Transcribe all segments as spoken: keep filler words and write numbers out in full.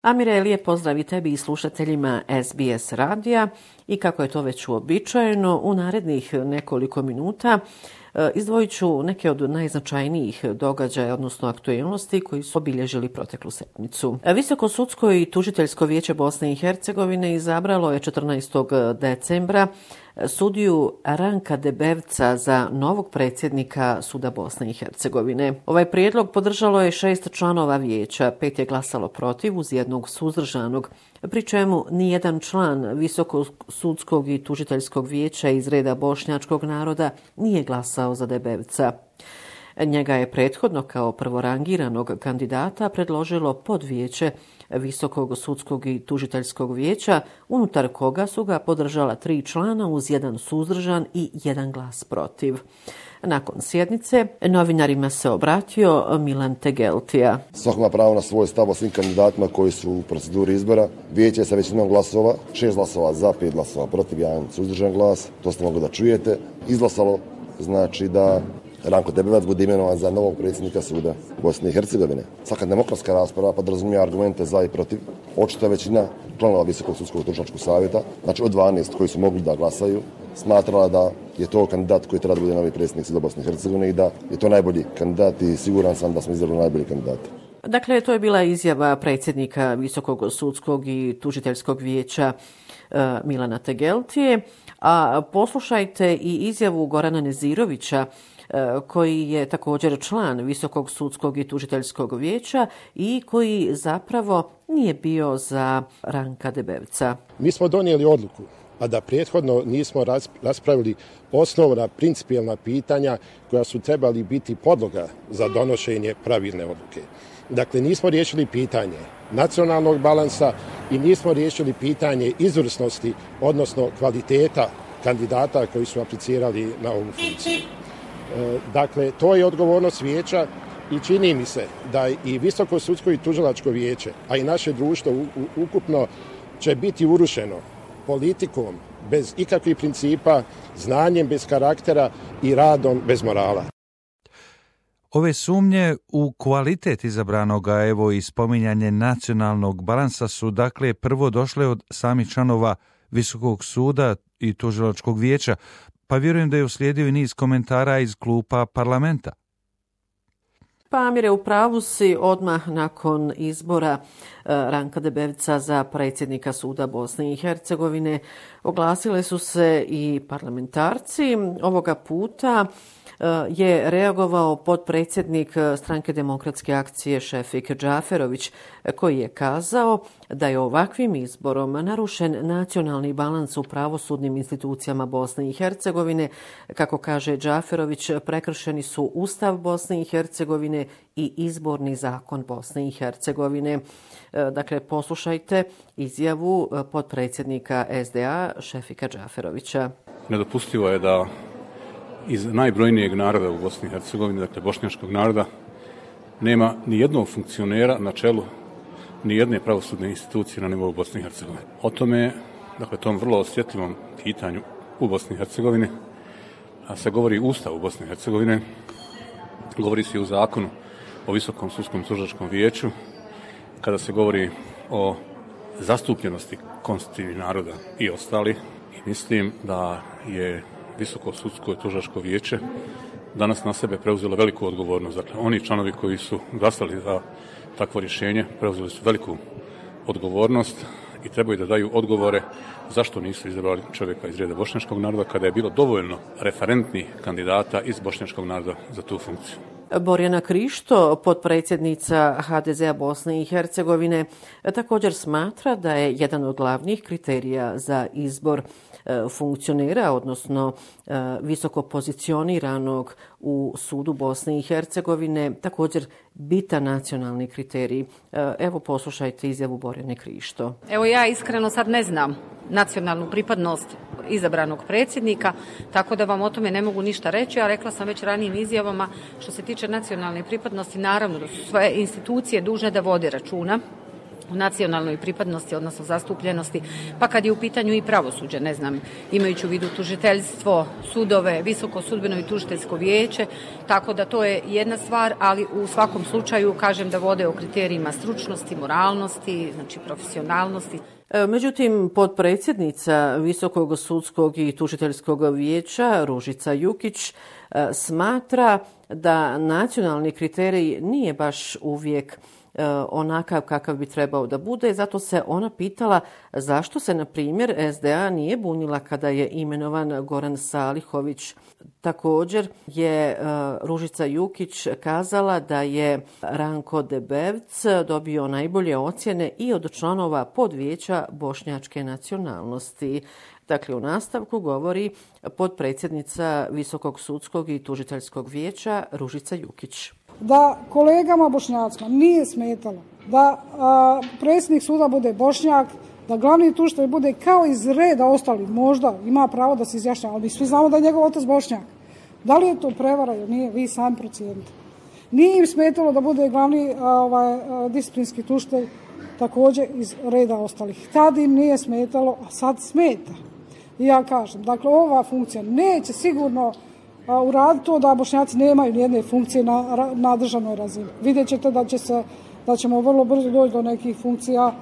Amire, lijep pozdrav i tebi i slušateljima S B S radija i kako je to već uobičajeno, u narednih nekoliko minuta izdvojit ću neke od najznačajnijih događaja, odnosno aktualnosti koji su obilježili proteklu sedmicu. Visoko sudsko i tužiteljsko vijeće Bosne i Hercegovine izabralo je četrnaestog decembra sudiju Ranka Debevca za novog predsjednika Suda Bosne i Hercegovine. Ovaj prijedlog podržalo je šest članova vijeća, pet je glasalo protiv uz jednog suzdržanog, pri čemu nijedan član Visokog sudskog i tužiteljskog vijeća iz reda bošnjačkog naroda nije glasao za Debevca. Njega je prethodno kao prvorangiranog kandidata predložilo podvijeće Visokog sudskog i tužiteljskog vijeća, unutar koga su ga podržala tri člana uz jedan suzdržan i jedan glas protiv. Nakon sjednice novinarima se obratio Milan Tegeltija. Svako ima pravo na svoj stav o svim kandidatima koji su u proceduri izbora. Vijeće sa većinom glasova, šest glasova za, pet glasova protiv, jedan suzdržan glas, to ste mogli da čujete, izglasalo znači da Ranko Debevac bude imenovan za novog predsjednika Suda Bosne i Hercegovine. Svaka demokratska rasprava podrazumijeva argumente za i protiv. Očito je većina članova Visokog sudskog tužilačkog savjeta, znači od dvanaest koji su mogli da glasaju, smatrala da je to kandidat koji treba da bude novi predsjednik Suda Bosne i Hercegovine i da je to najbolji kandidat i siguran sam da smo izabrali najbolji kandidat. Dakle, to je bila izjava predsjednika Visokog sudskog i tužiteljskog vijeća Milana Tegeltije, a poslušajte i izjavu Gorana Nezirovića, koji je također član Visokog sudskog i tužiteljskog vijeća i koji zapravo nije bio za Ranka Debevca. Mi smo donijeli odluku, a da prethodno nismo raspravili osnovna principijelna pitanja koja su trebali biti podloga za donošenje pravilne odluke. Dakle, nismo riješili pitanje nacionalnog balansa i nismo riješili pitanje izvrsnosti, odnosno kvaliteta kandidata koji su aplicirali na ovu funkciju. Dakle, to je odgovornost vijeća i čini mi se da i Visoko sudsko i tužilačko vijeće, a i naše društvo ukupno će biti urušeno politikom bez ikakvih principa, znanjem bez karaktera i radom bez morala. Ove sumnje u kvalitet izabranoga, evo i spominjanje nacionalnog balansa su dakle prvo došle od samih članova Visokog suda i tužilačkog vijeća, pa vjerujem da je uslijedio i niz komentara iz klupa parlamenta. Pa Amire, u pravu si, odmah nakon izbora Ranka Debevca za predsjednika Suda Bosne i Hercegovine oglasile su se i parlamentarci. Ovoga puta je reagovao potpredsjednik Stranke demokratske akcije Šefik Džaferović, koji je kazao da je ovakvim izborom narušen nacionalni balans u pravosudnim institucijama Bosne i Hercegovine. Kako kaže Džaferović, prekršeni su Ustav Bosne i Hercegovine i izborni zakon Bosne i Hercegovine. Dakle, poslušajte izjavu potpredsjednika S D A Šefika Džaferovića. Nedopustivo je da iz najbrojnijeg naroda u Bosni i Hercegovini, dakle bošnjačkog naroda, nema ni jednog funkcionera na čelu ni jedne pravosudne institucije na nivou Bosne i Hercegovine. O tome, dakle tom vrlo osjetljivom pitanju u Bosni i Hercegovini, a se govori u Ustavu Bosne i Hercegovine, govori se i u zakonu o Visokom sudskom tužilačkom vijeću, kada se govori o zastupljenosti konstitutivnih naroda i ostali. I mislim da je Visoko sudsko i tužilačko vijeće danas na sebe preuzelo veliku odgovornost. Dakle, oni članovi koji su glasali za takvo rješenje preuzeli su veliku odgovornost i trebaju da daju odgovore zašto nisu izabrali čovjeka iz reda bošnjačkog naroda kada je bilo dovoljno referentnih kandidata iz bošnjačkog naroda za tu funkciju. Borjana Krišto, potpredsjednica H D Z A Bosne i Hercegovine, također smatra da je jedan od glavnih kriterija za izbor funkcionera, odnosno visoko pozicioniranog u sudu Bosne i Hercegovine, također bitan nacionalni kriterij. Evo poslušajte izjavu Borjane Krišto. Evo ja iskreno sad ne znam nacionalnu pripadnost izabranog predsjednika, tako da vam o tome ne mogu ništa reći, a rekla sam već ranijim izjavama što se tiče nacionalne pripadnosti, naravno da su sve institucije dužne da vode računa u nacionalnoj pripadnosti, odnosno zastupljenosti, pa kad je u pitanju i pravosuđe, ne znam, imajući u vidu tužiteljstvo, sudove, Visoko sudbeno i tužiteljsko vijeće, tako da to je jedna stvar, ali u svakom slučaju kažem da vode o kriterijima stručnosti, moralnosti, znači profesionalnosti. Međutim, potpredsjednica Visokog sudskog i tužiteljskog vijeća Ružica Jukić smatra da nacionalni kriterij nije baš uvijek onakav kakav bi trebao da bude. Zato se ona pitala zašto se, na primjer, S D A nije bunila kada je imenovan Goran Salihović. Također je Ružica Jukić kazala da je Ranko Debevc dobio najbolje ocjene i od članova podvijeća bošnjačke nacionalnosti. Dakle, u nastavku govori potpredsjednica Visokog sudskog i tužiteljskog vijeća Ružica Jukić. Da kolegama bošnjacima nije smetalo da a, predsjednik suda bude Bošnjak, da glavni tužitelj bude kao iz reda ostali, možda ima pravo da se izjašnjava, ali mi svi znamo da je njegov otac Bošnjak. Da li je to prevara ili nije, vi sami procijenite. Nije im smetalo da bude glavni a, ovaj, a, disciplinski tužitelj također iz reda ostalih. Tad im nije smetalo, a sad smeta. I ja kažem, dakle, ova funkcija neće sigurno uraditi to da Bošnjaci nemaju nijedne funkcije na, na državnoj razini. Vidjet ćete da, će se, da ćemo vrlo brzo doći do nekih funkcija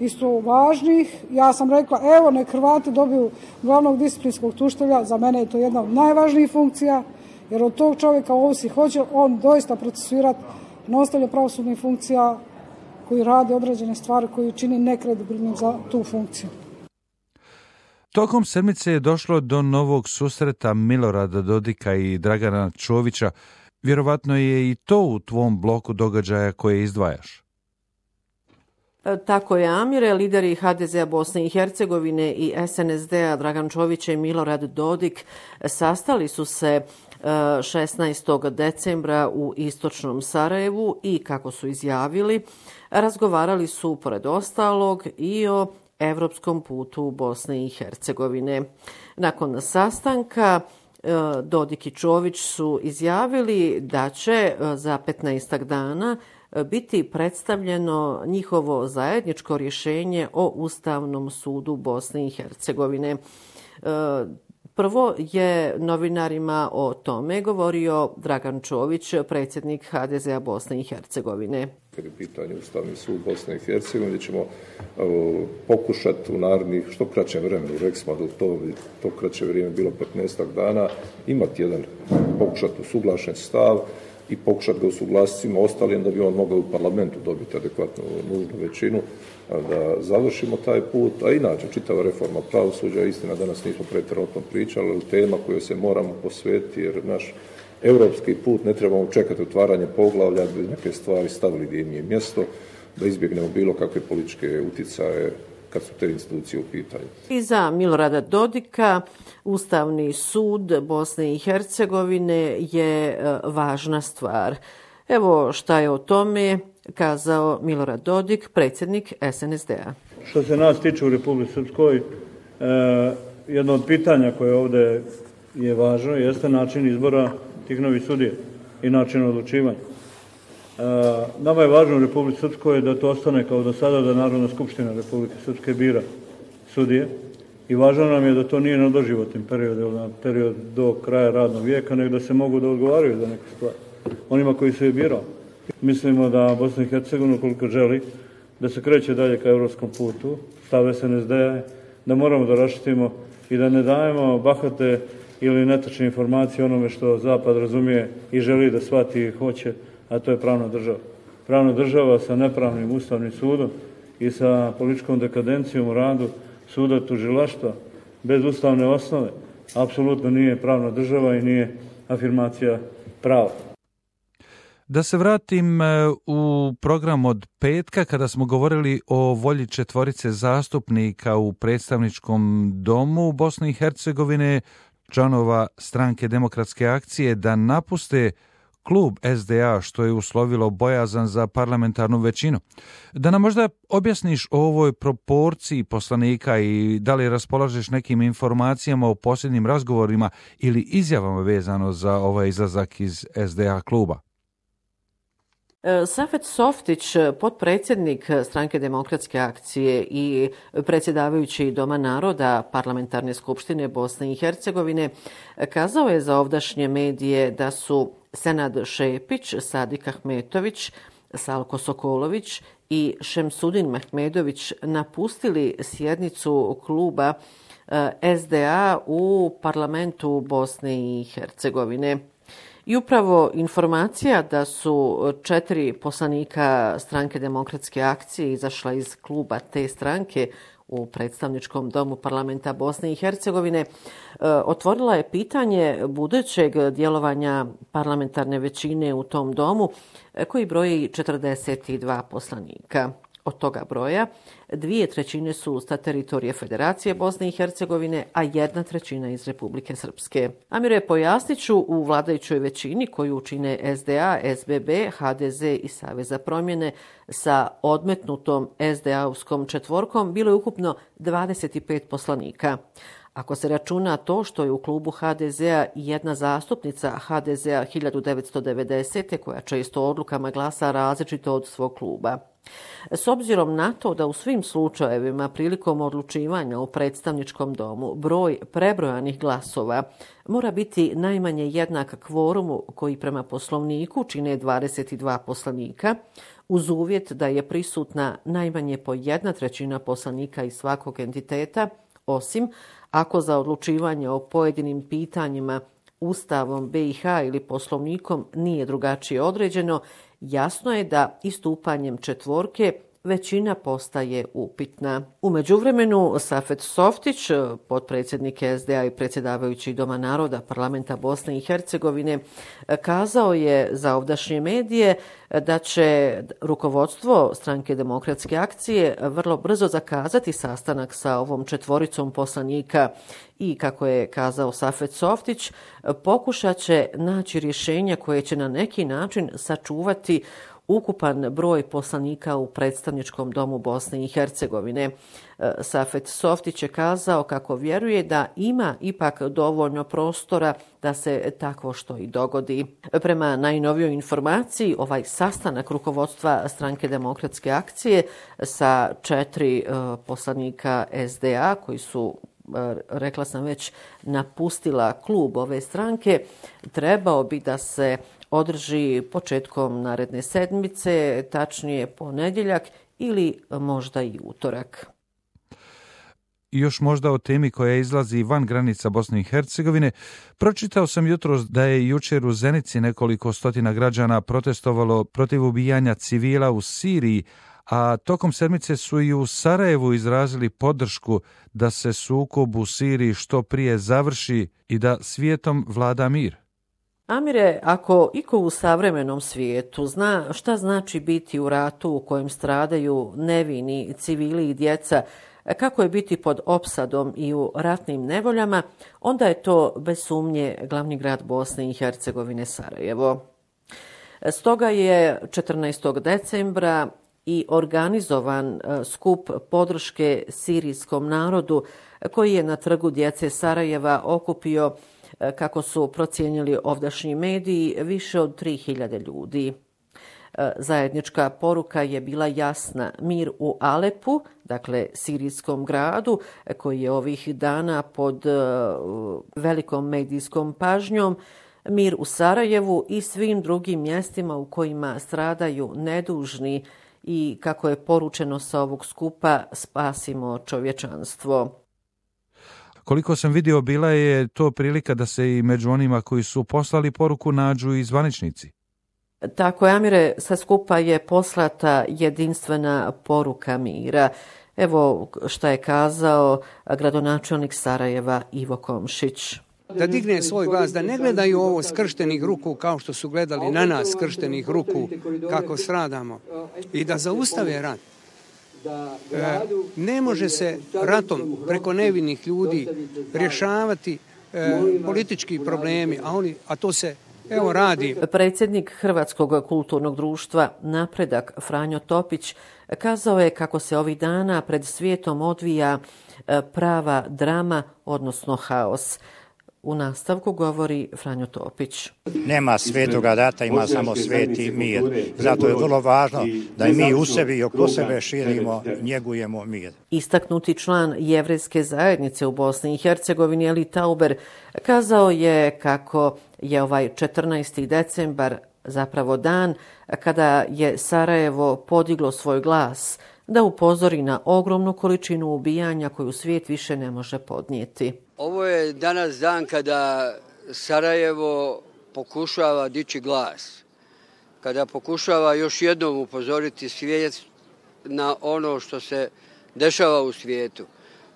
isto važnih. Ja sam rekla, evo, nek Hrvati dobiju glavnog disciplinskog tužitelja, za mene je to jedna od najvažnijih funkcija, jer od tog čovjeka ovisi hoće on doista procesuirati nositelje pravosudnih funkcija koji rade određene stvari koji čini nekredibilnim za tu funkciju. Tokom sedmice je došlo do novog susreta Milorada Dodika i Dragana Čovića. Vjerovatno je i to u tvom bloku događaja koje izdvajaš. Tako je, Amire. Lideri H D Z-a Bosne i Hercegovine i S N S D-a Dragan Čović i Milorad Dodik sastali su se šesnaestog decembra u istočnom Sarajevu i, kako su izjavili, razgovarali su pored ostalog i o evropskom putu Bosne i Hercegovine. Nakon sastanka Dodik i Čović su izjavili da će za petnaestak dana biti predstavljeno njihovo zajedničko rješenje o Ustavnom sudu Bosne i Hercegovine. Prvo je novinarima o tome govorio Dragan Čović, predsjednik H D Z-a Bosne i Hercegovine. Kad je pitanje Ustavni sud Bosne i Hercegovine, ćemo uh, pokušati u narednih što kraćem vremenu, rekli smo da to, to kraće vrijeme bilo petnaestak dana, imati jedan pokušati usuglašen stav i pokušati ga usuglasiti svima ostalim da bi on mogao u parlamentu dobiti adekvatnu nužnu većinu, da završimo taj put, a inače čitava reforma pravosuđa, istina danas nismo pretjerano o tom pričali, ali tema kojoj se moramo posvetiti jer naš europski put ne trebamo čekati otvaranje poglavlja da bi neke stvari stavili gdje im je mjesto, da izbjegnemo bilo kakve političke utjecaje kad su te institucije u pitanju. I za Milorada Dodika Ustavni sud Bosne i Hercegovine je važna stvar. Evo šta je o tome kazao Milorad Dodik, predsjednik S N S D-a. Što se nas tiče u Republici Srpskoj, eh, jedno od pitanja koje ovdje je važno jeste način izbora tih novih sudija i način odlučivanja. E, nama je važno u Republici Srpskoj da to ostane kao do sada, da Narodna skupština Republike Srpske bira sudije i važno nam je da to nije na doživotnim periodima, na period do kraja radnog vijeka, nego da se mogu da odgovaraju za neke stvari onima koji su je birali. Mislimo da Bosna i Hercegovina, koliko želi da se kreće dalje ka evropskom putu, stav S N S D-a, da moramo da raščistimo i da ne dajemo bahate ili netačne informacije onome što Zapad razumije i želi da shvati i hoće, a to je pravna država. Pravna država sa nepravnim ustavnim sudom i sa političkom dekadencijom u radu suda tužilaštva bez ustavne osnove apsolutno nije pravna država i nije afirmacija prava. Da se vratim u program od petka kada smo govorili o volji četvorice zastupnika u predstavničkom domu Bosne i Hercegovine, članova Stranke demokratske akcije, da napuste klub S D A, što je uslovilo bojazan za parlamentarnu većinu. Da nam možda objasniš o ovoj proporciji poslanika i da li raspolažeš nekim informacijama o posljednjim razgovorima ili izjavama vezano za ovaj izlazak iz S D A kluba? Safet Softić, potpredsjednik Stranke demokratske akcije i predsjedavajući Doma naroda Parlamentarne skupštine Bosne i Hercegovine, kazao je za ovdašnje medije da su Senad Šepić, Sadik Ahmetović, Salko Sokolović i Šemsudin Mehmedović napustili sjednicu kluba S D A u parlamentu Bosne i Hercegovine. I upravo informacija da su četiri poslanika Stranke demokratske akcije izašla iz kluba te stranke u predstavničkom domu parlamenta Bosne i Hercegovine otvorila je pitanje budućeg djelovanja parlamentarne većine u tom domu koji broji četrdeset dva poslanika. Od toga broja dvije trećine su sa teritorije Federacije Bosne i Hercegovine, a jedna trećina iz Republike Srpske. Amire, pojasnit ću, u vladajućoj većini koju čine S D A, S B B, H D Z i Savez za promjene sa odmetnutom S D A-ovskom četvorkom bilo je ukupno dvadeset pet poslanika. Ako se računa to što je u klubu H D Z-a jedna zastupnica H D Z-a hiljadu devetsto devedesete koja često odlukama glasa različito od svog kluba. S obzirom na to da u svim slučajevima prilikom odlučivanja u predstavničkom domu broj prebrojanih glasova mora biti najmanje jednak kvorumu koji prema poslovniku čine dvadeset dva poslanika, uz uvjet da je prisutna najmanje po jedna trećina poslanika iz svakog entiteta, osim ako za odlučivanje o pojedinim pitanjima Ustavom B i H ili poslovnikom nije drugačije određeno, jasno je da istupanjem četvorke većina postaje upitna. U međuvremenu Safet Softić, potpredsjednik S D A i predsjedavajući Doma naroda Parlamenta Bosne i Hercegovine, kazao je za ovdašnje medije da će rukovodstvo Stranke demokratske akcije vrlo brzo zakazati sastanak sa ovom četvoricom poslanika i, kako je kazao Safet Softić, pokušat će naći rješenja koje će na neki način sačuvati ukupan broj poslanika u predstavničkom domu Bosne i Hercegovine. Safet Softić je kazao kako vjeruje da ima ipak dovoljno prostora da se takvo što i dogodi. Prema najnovijoj informaciji, ovaj sastanak rukovodstva Stranke demokratske akcije sa četiri poslanika S D A koji su, rekla sam već, napustila klub ove stranke, trebao bi da se održi početkom naredne sedmice, tačnije ponedjeljak ili možda i utorak. I još možda o temi koja izlazi van granica Bosne i Hercegovine. Pročitao sam jutros da je jučer u Zenici nekoliko stotina građana protestovalo protiv ubijanja civila u Siriji, a tokom sedmice su i u Sarajevu izrazili podršku da se sukob u Siriji što prije završi i da svijetom vlada mir. Amire, ako iko u savremenom svijetu zna šta znači biti u ratu u kojem stradaju nevini civili i djeca, kako je biti pod opsadom i u ratnim nevoljama, onda je to bez sumnje glavni grad Bosne i Hercegovine Sarajevo. Stoga je četrnaestog decembra i organizovan skup podrške sirijskom narodu koji je na Trgu djece Sarajeva okupio, kako su procijenili ovdašnji mediji, više od tri hiljade ljudi. Zajednička poruka je bila jasna: mir u Alepu, dakle sirijskom gradu, koji je ovih dana pod velikom medijskom pažnjom, mir u Sarajevu i svim drugim mjestima u kojima stradaju nedužni i, kako je poručeno sa ovog skupa, spasimo čovječanstvo. Koliko sam vidio, bila je to prilika da se i među onima koji su poslali poruku nađu i zvaničnici. Tako je, Amire, sa skupa je poslata jedinstvena poruka mira. Evo šta je kazao gradonačelnik Sarajeva Ivo Komšić. Da digne svoj glas, da ne gledaju ovo skrštenih ruku kao što su gledali na nas skrštenih ruku kako stradamo, i da zaustave rat. E, ne može se ratom preko nevinih ljudi rješavati e, politički problemi, a, oni, a to se evo radi. Predsjednik Hrvatskog kulturnog društva Napredak Franjo Topić kazao je kako se ovih dana pred svijetom odvija prava drama, odnosno haos. U nastavku govori Franjo Topić. Nema svetoga rata, ima samo sveti mir. Zato je vrlo važno da i mi u sebi i oko sebe širimo, njegujemo mir. Istaknuti član jevrejske zajednice u Bosni i Hercegovini Eli Tauber kazao je kako je ovaj četrnaesti decembar zapravo dan kada je Sarajevo podiglo svoj glas da upozori na ogromnu količinu ubijanja koju svijet više ne može podnijeti. Ovo je danas dan kada Sarajevo pokušava dići glas, kada pokušava još jednom upozoriti svijet na ono što se dešava u svijetu,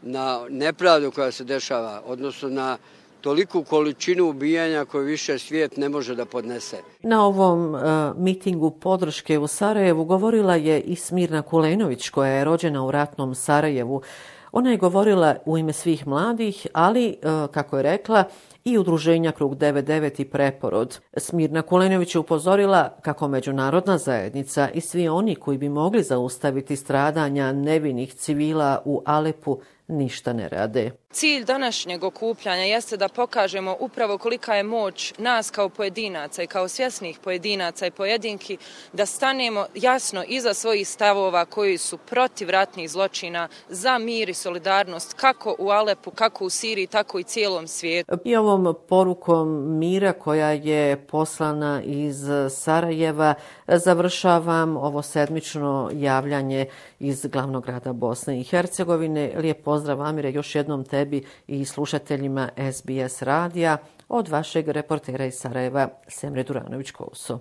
na nepravdu koja se dešava, odnosno na toliku količinu ubijanja koju više svijet ne može da podnese. Na ovom uh, mitingu podrške u Sarajevu govorila je i Smirna Kulenović, koja je rođena u ratnom Sarajevu. Ona je govorila u ime svih mladih, ali, uh, kako je rekla, i udruženja Krug devedeset devet i Preporod. Smirna Kulenović je upozorila kako međunarodna zajednica i svi oni koji bi mogli zaustaviti stradanja nevinih civila u Alepu ništa ne rade. Cilj današnjeg okupljanja jeste da pokažemo upravo kolika je moć nas kao pojedinaca i kao svjesnih pojedinaca i pojedinki da stanemo jasno iza svojih stavova koji su protiv ratnih zločina, za mir i solidarnost kako u Alepu, kako u Siriji, tako i cijelom svijetu. I ovom porukom mira koja je poslana iz Sarajeva završavam ovo sedmično javljanje iz glavnog grada Bosne i Hercegovine. Lijep pozdrav, Amire, još jednom tebi i slušateljima S B S radija od vašeg reportera iz Sarajeva, Semre Duranović-Kouso.